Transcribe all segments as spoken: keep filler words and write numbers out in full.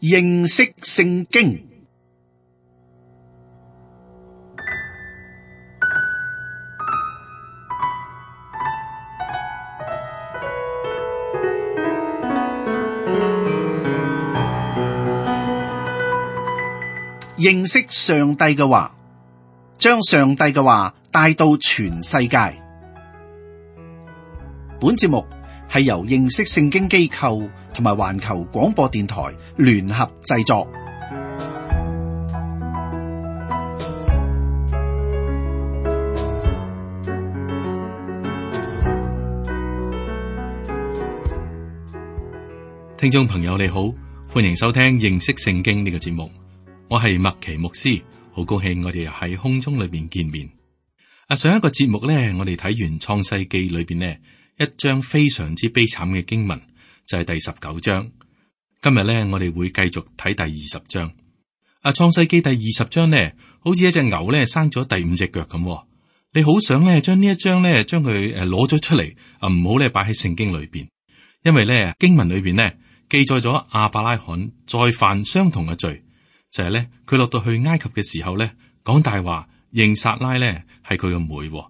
認識聖經。認識上帝嘅話，將上帝嘅話帶到全世界。本節目係由認識聖經機構同埋環球廣播電台聯合製作。聽眾朋友你好，歡迎收聽認識聖經呢個節目。我係麥奇牧師，好高興我哋又喺空中裏邊見面。啊，上一個節目咧，我哋睇完創世記裏邊呢一章非常之悲慘嘅經文，就係第十九章。今日咧，我哋會繼續睇第二十章。啊，創世記第二十章呢，好似一隻牛咧生咗第五隻腳咁。你好想咧將呢一章咧將佢誒攞咗出嚟啊，唔好咧擺喺聖經裏邊，因為咧經文裏邊呢記載咗亞伯拉罕再犯相同嘅罪。就係咧，佢落到去埃及嘅時候咧，講大話認撒拉咧係佢嘅妹，呢、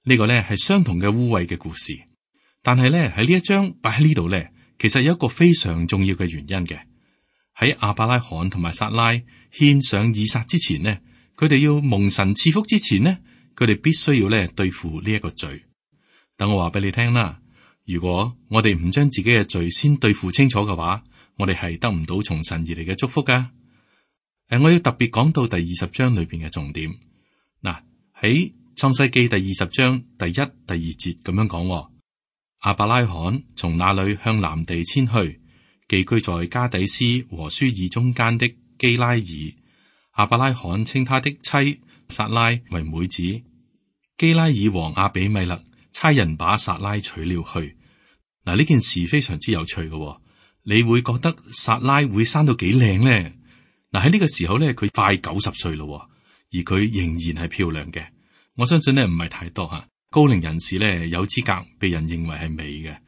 這個咧係相同嘅污穢嘅故事。但係咧喺呢一章擺喺呢度咧，其實有一個非常重要嘅原因嘅。喺亞伯拉罕同埋撒拉獻上以撒之前呢，佢哋要蒙神賜福之前呢，佢哋必須要咧對付呢一個罪。等我話俾你聽啦，如果我哋唔將自己嘅罪先對付清楚嘅話，我哋係得唔到從神而嚟嘅祝福噶。誒，我要特別講到第二十章裏邊嘅重點。嗱，喺創世記第二十章第一、第二節咁樣講：亞伯拉罕從那裏向南地遷去，寄居在加底斯和舒爾中間的基拉爾。亞伯拉罕稱他的妻撒拉為妹子。基拉爾王亞比米勒差人把撒拉娶了去。嗱，呢件事非常之有趣嘅，你會覺得撒拉會生到幾靚呢？嗱，喺呢個時候咧，佢快九十歲咯，而佢仍然係漂亮嘅。我相信咧唔係太多吓高齡人士咧有資格被人認為係美嘅，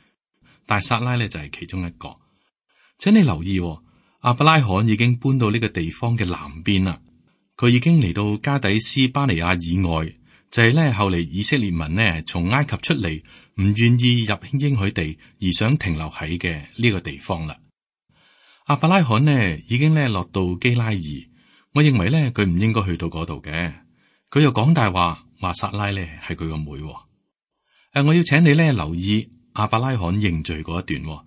但係撒拉咧就係其中一個。請你留意，亞伯拉罕已經搬到呢個地方嘅南邊啦，佢已經嚟到加底斯巴尼亞以外，就係咧後嚟以色列民呢從埃及出嚟，唔願意入應許地而想停留喺嘅呢個地方啦。亞伯拉罕呢已經咧落到基拉爾，我認為咧佢唔應該去到嗰度嘅。佢又講大話，話撒拉咧係佢個妹。誒、啊，我要請你咧留意亞伯拉罕認罪嗰一段，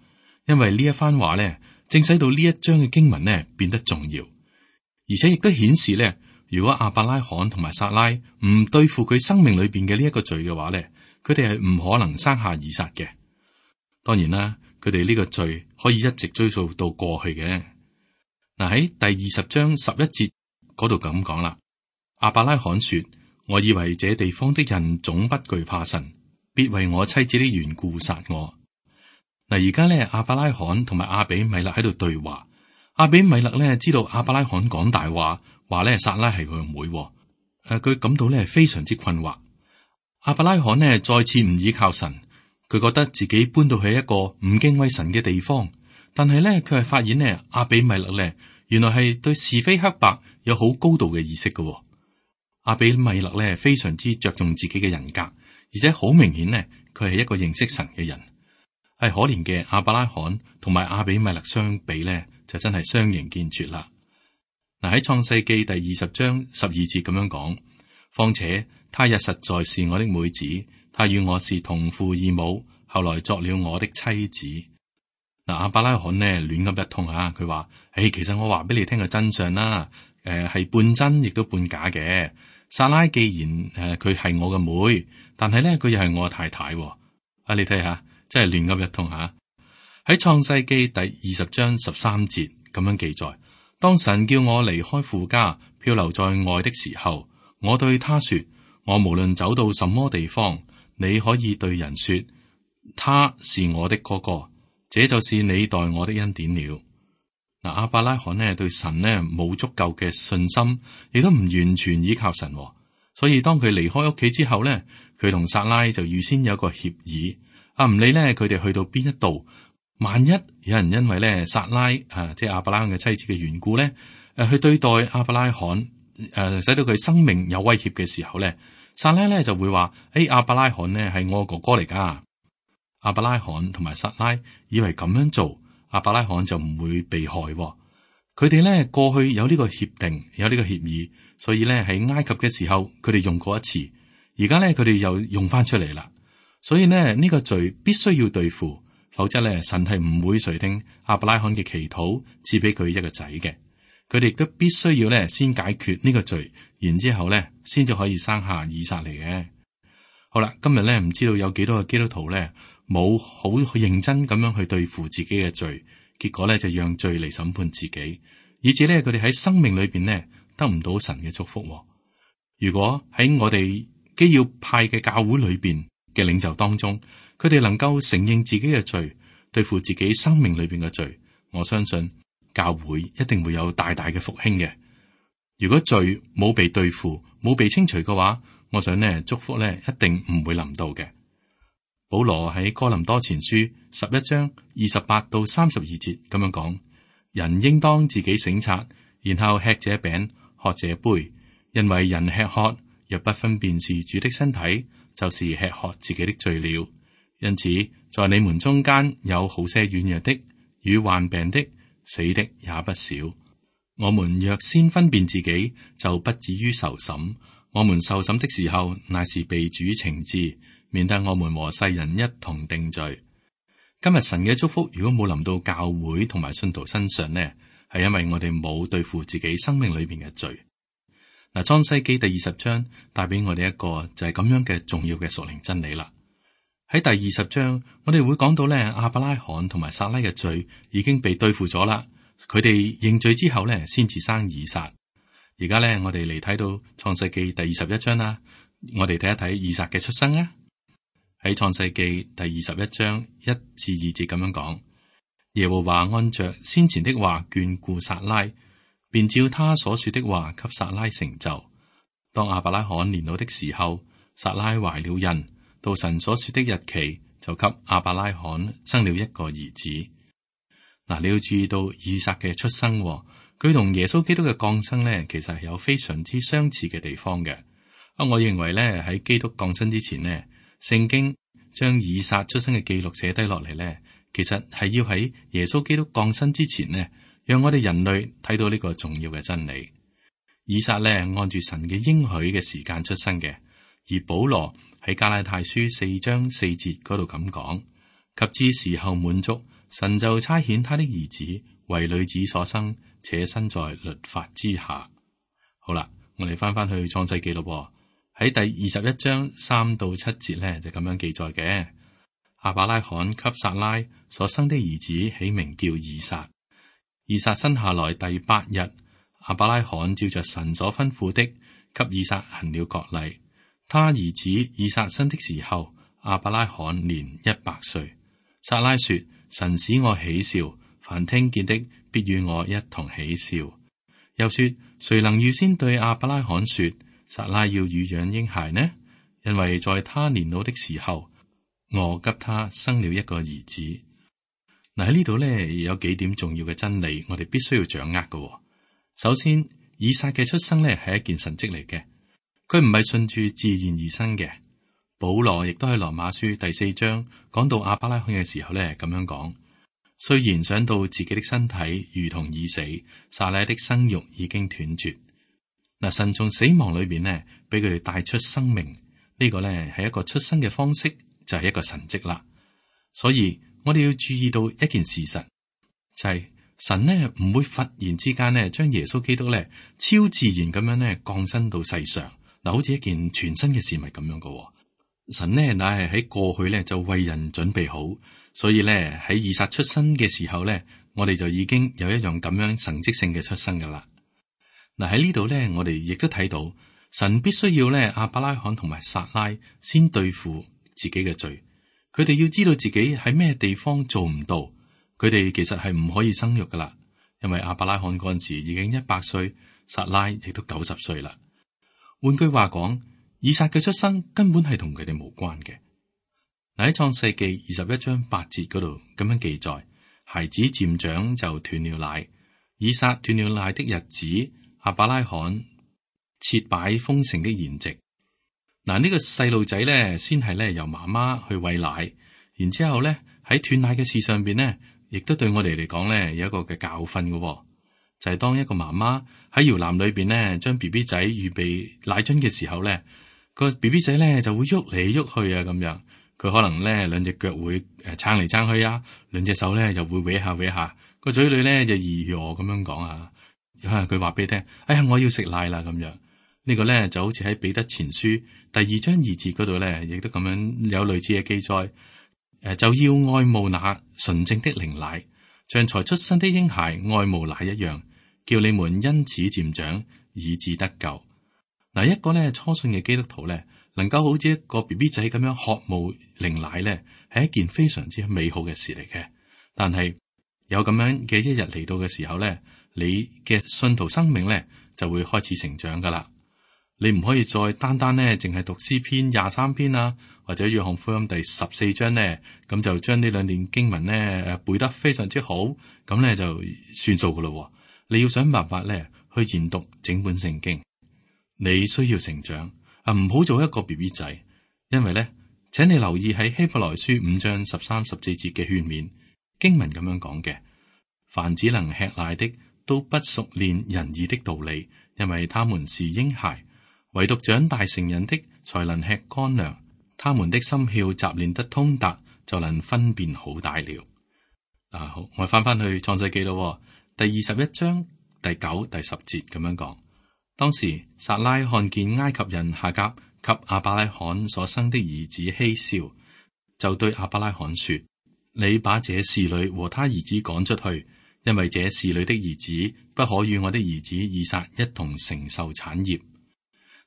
因為呢一番話咧正使到呢一章嘅經文咧變得重要，而且亦都顯示咧，如果亞伯拉罕同埋撒拉唔對付佢生命裏邊嘅呢一個罪嘅話咧，佢哋係唔可能生下以撒嘅。當然啦。佢哋呢個罪可以一直追溯到過去嘅。嗱，喺第二十章十一節嗰度咁講啦，亞伯拉罕說：我以為這地方的人總不懼怕神，必為我妻子的緣故殺我。嗱，而家咧亞伯拉罕同埋亞比米勒喺度對話，亞比米勒咧知道亞伯拉罕講大話，話咧撒拉係佢個妹，誒、啊，佢感到咧非常之困惑。亞伯拉罕呢再次唔依靠神。佢覺得自己搬到去一個唔敬畏神嘅地方，但係咧佢係發現咧亞比米勒咧原來係對是非黑白有好高度嘅意識嘅。亞比米勒咧非常之着重自己嘅人格，而且好明顯咧佢係一個認識神嘅人。係可憐嘅亞伯拉罕同埋亞比米勒相比咧，就真係相形見絀啦。嗱，喺創世記第二十章十二節咁樣講，況且他也實在是我的妹子。他與我是同父異母，後來作了我的妻子。嗱，亞伯拉罕呢亂噏一通啊，佢話：誒，其實我話俾你聽個真相啦，誒、呃、係半真亦都半假嘅。撒拉既然誒佢係我嘅妹，但係咧佢又係我嘅太太。啊，你睇下，真係亂噏一通吓。喺創世記第二十章十三節咁樣記載：當神叫我離開父家，漂流在外的時候，我對他說：我無論走到什麼地方，你可以對人說，他是我的哥哥，這就是你待我的恩典了。嗱，亞伯拉罕呢對神呢冇足夠嘅信心，亦都唔完全依靠神，所以當佢離開屋企之後呢，佢同撒拉就預先有個協議，啊唔理呢佢哋去到邊一度，萬一有人因為咧撒拉啊，即係亞伯拉罕嘅妻子嘅緣故咧，誒去對待亞伯拉罕，誒使到佢生命有威脅嘅時候咧，撒拉咧就會話：誒亞伯拉罕呢係我哥哥嚟噶。亞伯拉罕同埋撒拉以為咁樣做，亞伯拉罕就唔會被害。佢哋咧過去有呢個協定，有呢個協議，所以咧喺埃及嘅時候，佢哋用過一次，而家咧佢哋又用翻出嚟啦。所以呢，呢個罪必須要對付，否則咧神係唔會垂聽亞伯拉罕嘅祈禱，賜俾佢一個仔嘅。佢哋亦都必須要咧先解決呢個罪，然之後咧先至可以生下以撒嚟嘅。好啦，今日咧唔知道有幾多個基督徒咧冇好認真咁樣去對付自己嘅罪，結果咧就讓罪嚟審判自己，以致咧佢哋喺生命裏邊咧得唔到神嘅祝福。如果喺我哋基要派嘅教會裏邊嘅領袖當中，佢哋能夠承認自己嘅罪，對付自己生命裏邊嘅罪，我相信教會一定會有大大嘅復興嘅。如果罪冇被對付，冇被清除嘅話，我想呢祝福呢一定唔會臨到嘅。保羅喺哥林多前書十一章二十八到三十二節咁樣講：人應當自己省察，然後吃這餅，喝這杯，因為人吃喝若不分辨是主的身體，就是吃喝自己的罪了。因此，在你們中間有好些軟弱的，與患病的，死的也不少。我們若先分辨自己，就不至於受審。我們受審的時候，乃是被主懲治，免得我們和世人一同定罪。今日神嘅祝福如果冇臨到教會同埋信徒身上呢，係因為我哋冇對付自己生命裏邊嘅罪。嗱，創世記第二十章帶俾我哋一個就係咁樣嘅重要嘅屬靈真理啦。喺第二十章，我哋會講到咧，亞伯拉罕同埋撒拉嘅罪已經被對付咗啦。佢哋認罪之後咧，先至生以撒。而家咧，我哋嚟睇到創世記第二十一章啦。我哋睇一睇以撒嘅出生啊。喺創世記第二十一章一至二節咁樣講：耶和華按着先前的話眷顧撒拉，便照他所說的話給撒拉成就。當亞伯拉罕年老的時候，撒拉懷了孕，到神所說的日期，就給亞伯拉罕生了一個兒子。嗱，你要注意到以撒嘅出生，佢同耶穌基督嘅降生呢，其實係有非常之相似嘅地方嘅。啊，我認為呢，喺基督降生之前呢，聖經將以撒出生嘅記錄寫低落嚟呢，其實係要喺耶穌基督降生之前呢，讓我哋人類睇到呢個重要嘅真理。以撒呢，按住神嘅應許嘅時間出生嘅，而保羅喺加拉太書四章四節嗰度咁講：及至時候滿足，神就差遣他的兒子為女子所生，且身在律法之下。好啦，我哋翻翻去創世記咯。喺第二十一章三到七節咧，就咁樣記載嘅：亞伯拉罕給撒拉所生的兒子起名叫以撒。以撒生下來第八日，亞伯拉罕照着神所吩咐的，給以撒行了割禮。他兒子以撒生的時候，亞伯拉罕年一百歲。撒拉說：神使我喜笑，凡聽見的必與我一同喜笑。又說：誰能預先對亞伯拉罕說，撒拉要乳養嬰孩呢？因為在他年老的時候，我給他生了一個兒子。嗱，喺呢度咧，有幾點重要嘅真理，我哋必須要掌握嘅。首先，以撒嘅出生咧係一件神蹟嚟嘅，佢唔係順住自然而生嘅。保羅亦都喺羅馬書第四章講到亞伯拉罕嘅時候咧，咁樣講：雖然想到自己的身體如同已死，撒拉的生育已經斷絕。嗱，神從死亡裏邊呢，俾佢哋帶出生命，呢個咧係一個出生嘅方式，就係一個神蹟啦。所以我哋要注意到一件事實，就係神呢唔會忽然之間呢將耶穌基督咧超自然咁樣咧降生到世上，嗱，好似一件全新嘅事物咁樣噶。神呢乃係喺過去咧就為人準備好，所以咧喺以撒出生嘅時候咧，我哋就已經有一樣咁樣神蹟性嘅出生噶啦。嗱，喺呢度咧，我哋亦都睇到神必須要咧亞伯拉罕同埋撒拉先對付自己嘅罪，佢哋要知道自己喺咩地方做唔到，佢哋其實係唔可以生育噶啦，因為亞伯拉罕嗰陣時已經一百歲，撒拉亦都九十歲啦。換句話講，以撒嘅出生根本係同佢哋無關嘅。嗱，喺創世記二十一章八節嗰度咁樣記載：孩子漸長就斷了奶。以撒斷了奶的日子，亞伯拉罕設擺豐盛的筵席。嗱，呢個細路仔咧，先係咧由媽媽去餵奶，然之後咧喺斷奶嘅事上邊呢，亦都對我哋嚟講咧有一個嘅教訓嘅、哦，就係、是、當一個媽媽喺搖籃裏邊呢，將 B B 仔預備奶樽嘅時候咧，個 B B 仔咧就會喐嚟喐去啊，咁樣佢可能咧兩隻腳會誒撐嚟撐去啊，兩隻手咧就會搲下搲下，個嘴裏咧就咿咿咁樣講啊，佢話俾你聽，哎呀我要食奶啦咁樣。呢個咧就好似喺彼得前書第二章二節嗰度咧，亦都咁樣有類似嘅記載。誒，就要愛慕那純正的靈奶，像才出生的嬰孩愛慕奶一樣，叫你們因此漸長，以致得救。嗱，一個咧初信嘅基督徒咧，能夠好似一個 B B 仔咁樣渴慕靈奶咧，係一件非常之美好嘅事嚟嘅。但係有咁樣嘅一日嚟到嘅時候咧，你嘅信徒生命咧就會開始成長噶啦。你唔可以再單單咧，淨係讀詩篇廿三篇啊，或者約翰福音第十四章咧，咁就將呢兩段經文咧誒背得非常之好，咁咧就算數噶咯。你要想辦法咧去研讀整本聖經，你需要成長啊，唔好做一個 B B 仔，因為咧，請你留意喺希伯來書五章十三十四節嘅勸勉經文咁樣講嘅：凡只能吃奶的，都不熟練仁義的道理，因為他們是嬰孩。唯獨長大成人的，才能吃乾糧。他們的心竅習練得通達，就能分辨好歹了。啊，好，我翻翻去創世記咯，第二十一章第九、第十節咁樣講。當時撒拉看見埃及人夏甲給亞伯拉罕所生的兒子希笑，就對亞伯拉罕說：你把這侍女和他兒子趕出去，因為這侍女的兒子不可與我的兒子以撒一同承受產業。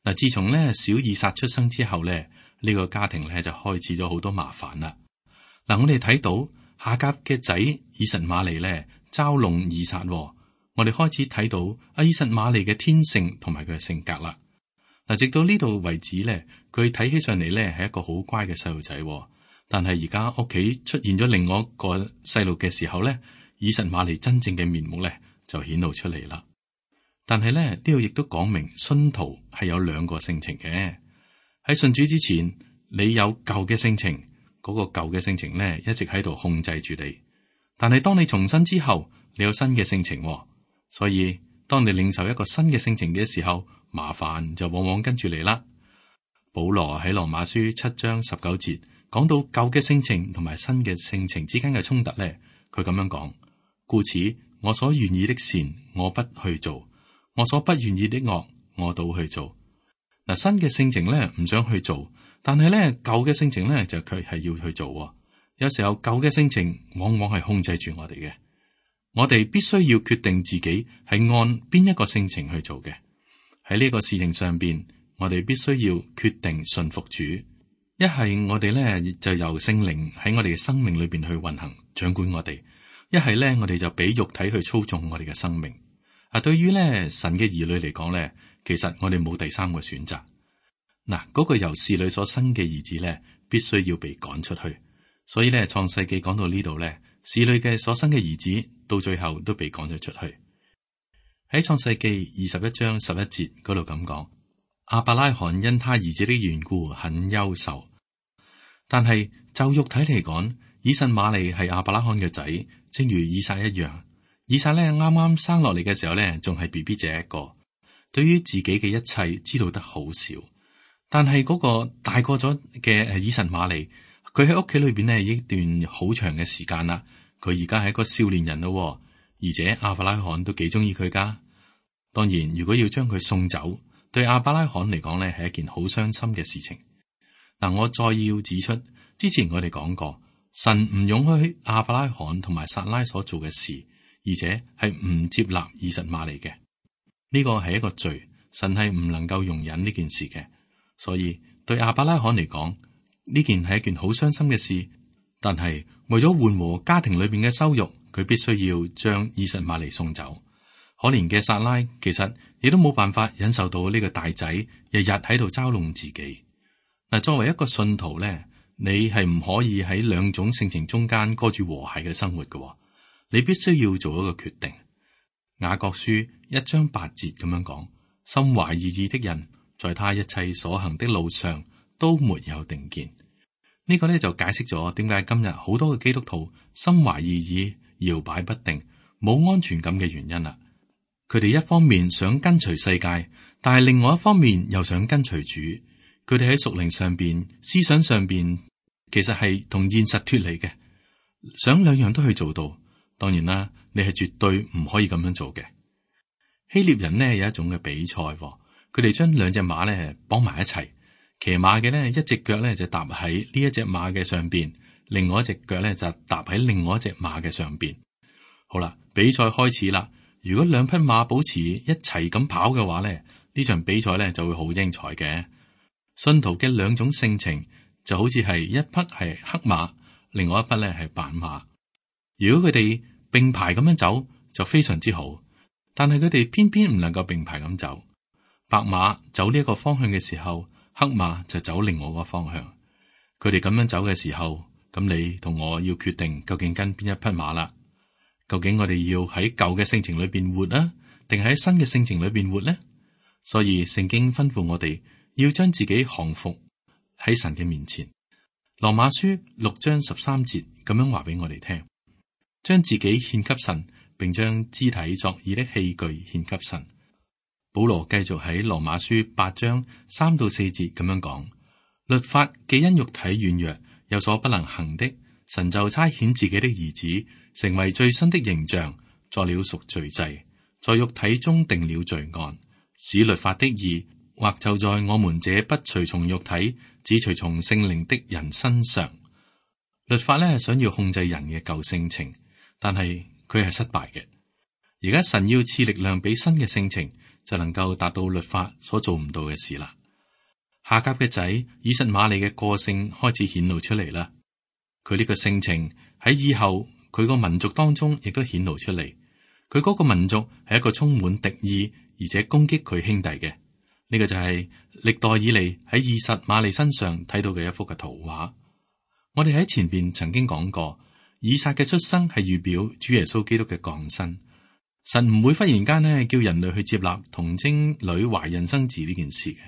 嗱，自從咧小以撒出生之後咧，呢、這個家庭咧就開始咗好多麻煩啦。嗱，我哋睇到夏甲嘅仔以實瑪利咧嘲弄以撒，我哋開始睇到阿以實瑪利嘅天性同埋佢嘅性格啦。嗱，直到呢度為止咧，佢睇起上嚟咧係一個好乖嘅細路仔，但係而家屋企出現咗另外一個細路嘅時候咧，以實瑪利真正嘅面目咧就顯露出嚟啦。但係咧，呢度亦都講明信徒係有兩個性情嘅。喺信主之前，你有舊嘅性情，嗰、那個舊嘅性情咧一直喺度控制住你。但係當你重生之後，你有新嘅性情，所以當你領受一個新嘅性情嘅時候，麻煩就往往跟住嚟啦。保羅喺羅馬書七章十九節講到舊嘅性情同埋新嘅性情之間嘅衝突咧，佢咁樣講：故此我所願意的善，我不去做。我所不願意的惡，我倒去做。嗱，新嘅性情咧唔想去做，但係咧舊嘅性情咧就佢係要去做。有時候舊嘅性情往往係控制住我哋嘅，我哋必須要決定自己係按邊一個性情去做嘅。喺呢個事情上邊，我哋必須要決定順服主。一係我哋咧就由聖靈喺我哋嘅生命裏邊去運行掌管我哋；一係咧我哋就俾肉體去操縱我哋嘅生命。啊，對於咧神嘅兒女嚟講咧，其實我哋冇第三個選擇。嗱，嗰個由侍女所生嘅兒子咧，必須要被趕出去。所以咧，創世記講到呢度咧，侍女嘅所生嘅兒子到最後都被趕咗出去。喺創世記二十一章十一節嗰度咁講，亞伯拉罕因他兒子的緣故很憂愁。但係就肉體嚟講，以實瑪利係亞伯拉罕嘅仔，正如以撒一樣。以撒咧啱啱生落嚟嘅時候咧，仲係 B B 仔一個，對於自己嘅一切知道得好少。但係嗰個大個咗嘅誒以實瑪利，佢喺屋企裏邊咧一段好長嘅時間啦。佢而家係一個少年人咯，而且亞伯拉罕都幾中意佢噶。當然，如果要將佢送走，對亞伯拉罕嚟講咧係一件好傷心嘅事情。嗱，我再要指出，之前我哋講過，神唔容許亞伯拉罕同埋撒拉所做嘅事。而且係唔接納以實瑪利嘅，呢個係一個罪，神係唔能夠容忍呢件事嘅。所以對亞伯拉罕嚟講，呢件係一件好傷心嘅事。但係為咗緩和家庭裏邊嘅羞辱，佢必須要將以實瑪利送走。可憐嘅撒拉其實亦都冇辦法忍受到呢個大仔日日喺度嘲弄自己。嗱，作為一個信徒咧，你係唔可以喺兩種性情中間過住和諧嘅生活嘅。你必須要做一個決定。雅各書一章八節咁樣講：心懷二意的人，在他一切所行的路上都沒有定見。呢、這個呢，就解釋咗點解今日好多嘅基督徒心懷二意、搖擺不定、冇安全感嘅原因啦。佢哋一方面想跟隨世界，但係另外一方面又想跟隨主。佢哋喺屬靈上邊、思想上邊，其實係同現實脫離嘅，想兩樣都去做到。當然啦，你係絕對唔可以咁樣做嘅。希臘人呢有一種嘅比賽，佢哋將兩隻馬呢綁埋一齊，騎馬嘅呢一隻腳呢就踏喺呢一隻馬嘅上邊，另外一隻腳呢就踏喺另外一隻馬嘅上邊。好啦，比賽開始啦。如果兩匹馬保持一齊咁跑嘅話咧，呢場比賽咧就會好精彩嘅。信徒嘅兩種性情就好似係一匹係黑馬，另外一匹咧係白馬。如果佢哋並排咁樣走就非常之好，但係佢哋偏偏唔能夠並排咁走。白馬走呢一個方向嘅時候，黑馬就走另外一個方向。佢哋咁樣走嘅時候，咁你同我要決定究竟跟邊一匹馬啦。究竟我哋要喺舊嘅性情裏邊活啊，定喺新嘅性情裏邊活呢？所以聖經吩咐我哋要將自己降服喺神嘅面前。羅馬書六章十三節咁樣話俾我哋聽，將自己獻給神，並將肢體作義的器具獻給神。保羅繼續喺羅馬書八章三到四節咁樣講：律法既因肉體軟弱有所不能行的，神就差遣自己的兒子，成為最新的形象，作了贖罪祭，在肉體中定了罪案，使律法的義或就在我們這不隨從肉體，只隨從聖靈的人身上。律法呢，想要控制人嘅舊性情，但係佢係失敗嘅。而家神要賜力量俾新嘅性情，就能夠達到律法所做唔到嘅事啦。夏甲嘅仔以實瑪利嘅個性開始顯露出嚟啦。佢呢個性情喺以後佢個民族當中亦都顯露出嚟。佢嗰個民族係一個充滿敵意而且攻擊佢兄弟嘅。呢、這個就係歷代以嚟喺以實瑪利身上睇到嘅一幅嘅圖畫。我哋喺前邊曾經講過，以撒嘅出生係預表主耶穌基督嘅降生。神唔會忽然間呢叫人類去接納童貞女懷孕生子呢件事嘅。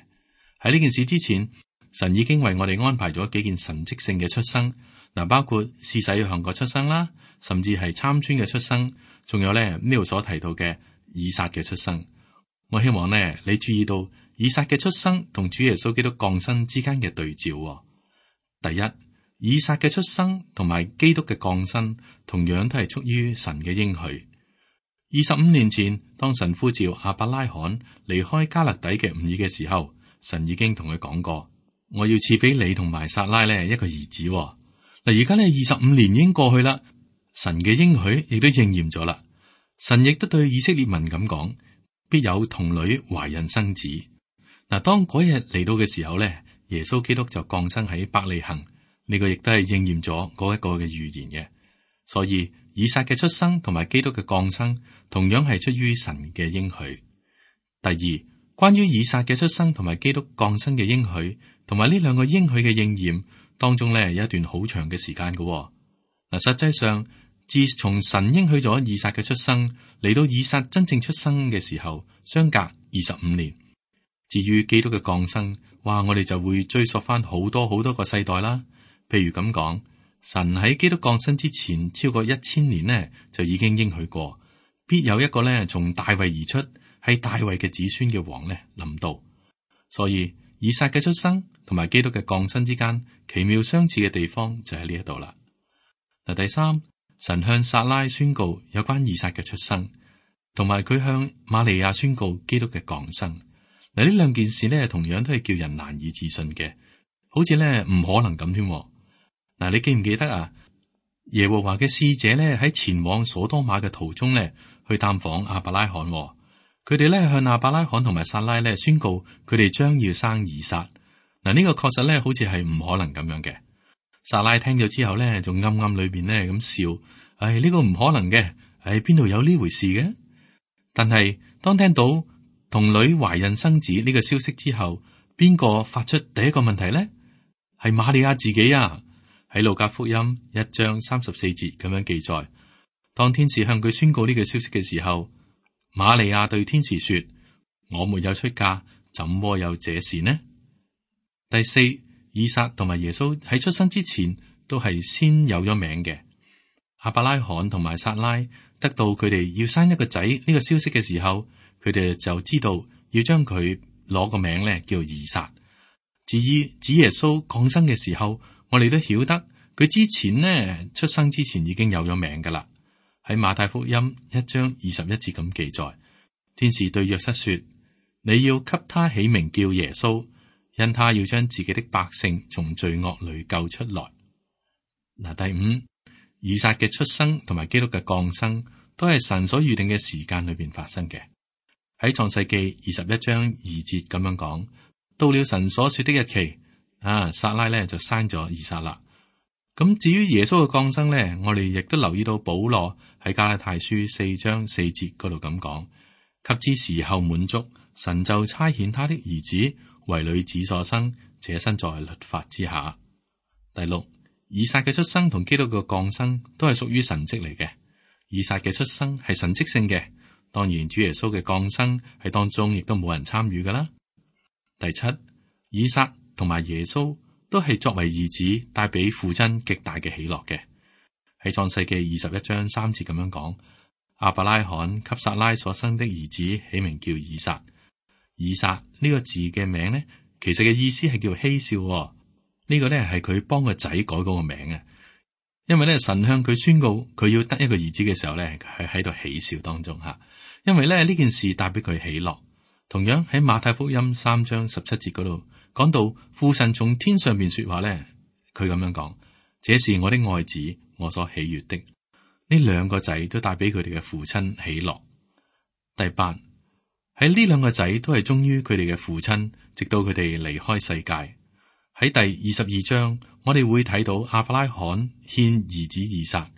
喺呢件事之前，神已經為我哋安排咗幾件神蹟性嘅出生。嗱，包括施洗約翰嘅出生啦，甚至係參孫嘅出生，仲有咧呢度所提到嘅以撒嘅出生。我希望呢，你注意到以撒嘅出生同主耶穌基督降生之間嘅對照。第一，以撒嘅出生同埋基督嘅降生，同樣都係出於神嘅應許。二十五年前，當神呼召亞伯拉罕離開迦勒底嘅吾爾嘅時候，神已經同佢講過：我要賜俾你同埋撒拉呢一個兒子。嗱，而家呢，二十五年已經過去啦，神嘅應許亦都應驗咗啦。神亦都對以色列民咁講：必有童女懷孕生子。嗱，當嗰日嚟到嘅時候咧，耶穌基督就降生喺伯利恆，呢個亦都係應驗咗嗰一個嘅預言嘅。所以以撒嘅出生同埋基督嘅降生，同樣係出於神嘅應許。第二，關於以撒嘅出生同埋基督降生嘅應許，同埋呢兩個應許嘅應驗。當中咧有一段好長嘅時間嘅。嗱，實際上自從神應許咗以撒嘅出生嚟到以撒真正出生嘅時候，相隔二十五年。至於基督嘅降生，哇，我哋就會追溯翻好多好多個世代啦。譬如咁講，神喺基督降生之前超過一千年呢，就已經應許過，必有一個咧從大衛而出，係大衛嘅子孫嘅王咧臨到。所以以撒嘅出生同埋基督嘅降生之間奇妙相似嘅地方就喺呢一度啦。嗱，第三，神向撒拉宣告有關以撒嘅出生，同埋佢向瑪利亞宣告基督嘅降生。嗱，呢兩件事呢，同樣都係叫人難以置信嘅，好似呢唔可能咁添。嗱，你記唔記得啊？耶和華嘅使者呢喺前往所多瑪嘅途中呢，去探訪亞伯拉罕。佢哋咧向亞伯拉罕同埋撒拉咧宣告佢哋將要生以撒。嗱，呢個確實咧好似係唔可能咁樣嘅。撒拉聽咗之後咧，仲暗暗裏邊咧咁笑，唉、哎，呢個唔可能嘅，唉，邊度有呢回事嘅？但係當聽到童女懷孕生子呢個消息之後，邊個發出第一個問題咧？係瑪利亞自己啊！喺路加福音一章三十四節咁樣記載，當天使向佢宣告呢個消息嘅時候，瑪利亞對天使說：我沒有出嫁，怎麼有這事呢？第四，以撒同埋耶穌喺出生之前都係先有咗名嘅。亞伯拉罕同埋撒拉得到佢哋要生一個仔呢個消息嘅時候，佢哋就知道要將佢攞個名咧叫以撒。至於子耶穌降生嘅時候，我哋都曉得佢之前呢，出生之前已經有咗名噶啦。喺馬太福音一章二十一節咁記載，天使對約瑟說：你要給他起名叫耶穌，因他要將自己的百姓從罪惡裏救出來。嗱，第五，以撒嘅出生同埋基督嘅降生都係神所預定嘅時間裏邊發生嘅。喺創世記二十一章二節咁樣講，到了神所說的日期，啊，撒拉咧就生咗以撒啦。咁至於耶穌嘅降生咧，我哋亦都留意到保羅喺加拉太書四章四節嗰度咁講：及至時候滿足，神就差遣他的兒子為女子所生，且生在律法之下。第六，以撒嘅出生同基督嘅降生都係屬於神蹟嚟嘅。以撒嘅出生係神蹟性嘅，當然主耶穌嘅降生喺當中亦都冇人參與噶啦。第七，以撒同埋耶穌都係作為兒子帶俾父親極大嘅喜樂嘅。喺創世記二十一章三節咁樣講：亞伯拉罕給撒拉所生的兒子起名叫以撒。以撒呢個字嘅名呢，其實嘅意思係叫嬉笑、哦。呢、這個呢係佢幫個仔改嗰個名啊。因為咧神向佢宣告佢要得一個兒子嘅時候咧，佢喺度喜笑當中吓。因為咧呢件事帶俾佢喜樂。同樣喺馬太福音三章十七節嗰度講到父神從天上邊說話咧，佢咁樣講：這是我的愛子，我所喜悅的。呢兩個仔都帶俾佢哋嘅父親喜樂。第八，喺呢兩個仔都係忠於佢哋嘅父親，直到佢哋離開世界。喺第二十二章，我哋會睇到亞伯拉罕獻兒子以撒。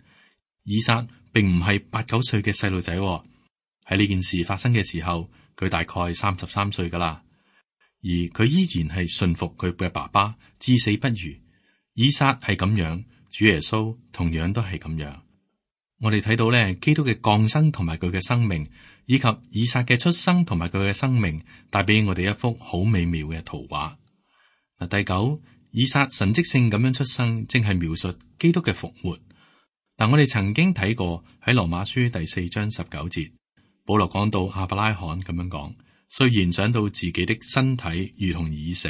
以撒並唔係八九歲嘅細路仔，喺呢件事發生嘅時候，佢大概三十三歲噶啦。而佢依然係順服佢嘅爸爸，至死不渝。以撒係咁樣，主耶穌同樣都係咁樣。我哋睇到咧，基督嘅降生同埋佢嘅生命，以及以撒嘅出生同埋佢嘅生命，帶俾我哋一幅好美妙嘅圖畫。嗱，第九，以撒神蹟性咁樣出生，正係描述基督嘅復活。嗱，我哋曾經睇過喺羅馬書第四章十九節，保羅講到亞伯拉罕咁樣講：雖然想到自己的身體如同已死，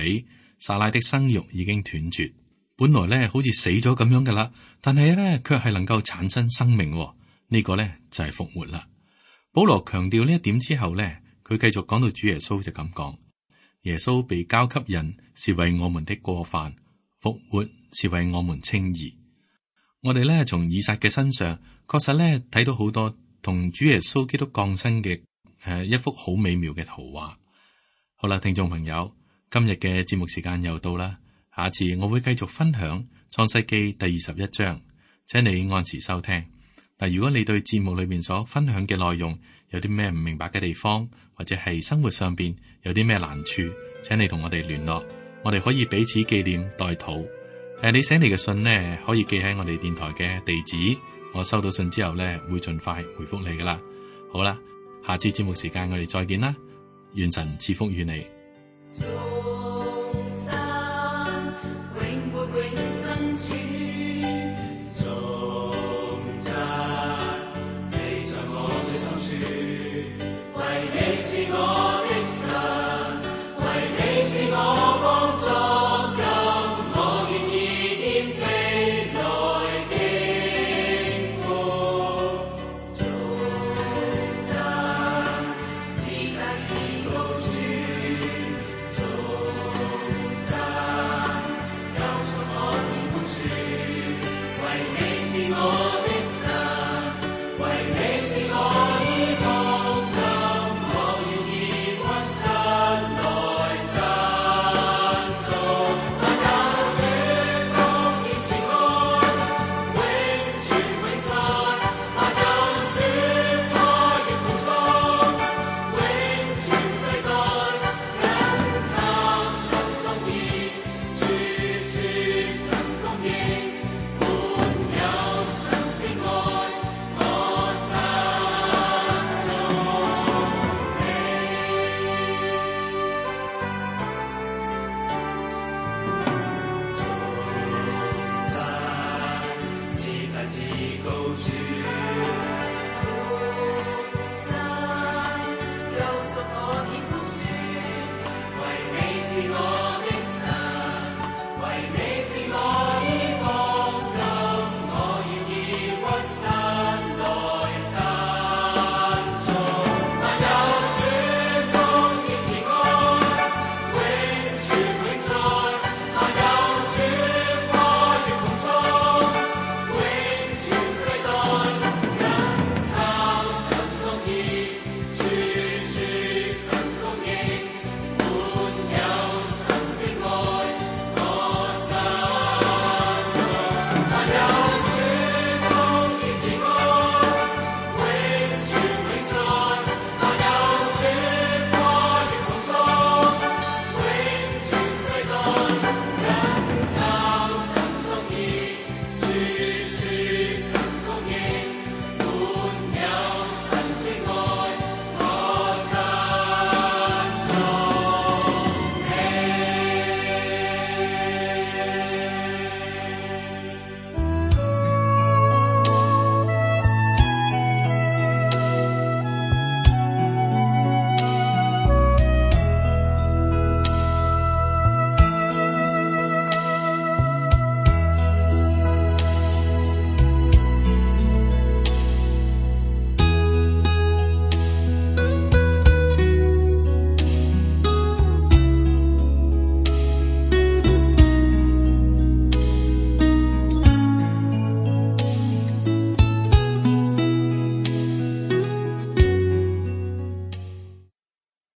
撒拉的生育已經斷絕，本來咧好似死咗咁樣噶啦，但係咧卻係能夠產生生命。呢、這個咧就係復活啦。保羅強調呢一點之後咧，佢繼續講到主耶穌就咁講。耶穌被交給人，是為我們的過犯；復活是為我們稱義。我哋咧從以撒嘅身上，確實咧睇到好多同主耶穌基督降生嘅誒一幅好美妙嘅圖畫。好啦，聽眾朋友，今日嘅節目時間又到啦，下次我會繼續分享創世記第二十一章，請你按時收聽。嗱，如果你對節目裏面所分享嘅內容有啲咩唔明白嘅地方，或者係生活上邊有啲咩難處，請你同我哋聯絡，我哋可以彼此紀念代禱。誒，你寫嚟嘅信呢，可以寄喺我哋電台嘅地址，我收到信之後呢，會盡快回覆你噶啦。好啦，下次節目時間我哋再見啦，願神賜福於你。是我的神，為你是我幫助，今我願意謙卑來敬服。頌讚至大至高處，頌讚救贖我於苦處，為你是我的神，為你是我依靠。神來讚贖我，已寬恕，為你是我